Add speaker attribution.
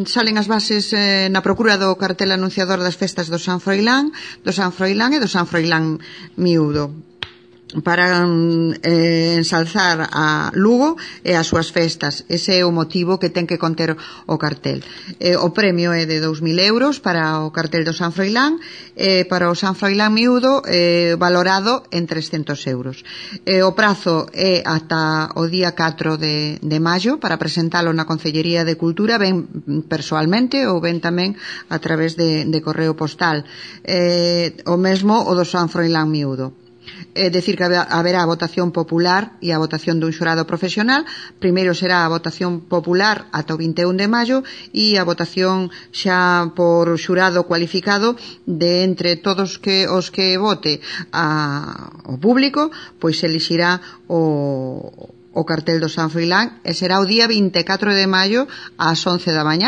Speaker 1: salen as bases na procura do cartel anunciador das festas do San Froilán e do San Froilán Miúdo, para ensalzar a Lugo e as súas festas. Ese é o motivo que ten que conter o cartel. O premio é de 2.000 euros para o cartel do San Froilán, e para o San Froilán Miúdo valorado en 300 euros. O prazo é ata o día 4 de maio para presentalo na Concellería de Cultura, ben persoalmente ou ben tamén a través de correo postal. O mesmo o do San Froilán Miúdo. É dicir que haberá a votación popular e a votación dun xurado profesional. Primeiro será a votación popular ata o 21 de maio e a votación xa por xurado cualificado de entre todos os que vote o público, pois elixirá o cartel do San Froilán, e será o día 24 de maio ás 11 da mañá.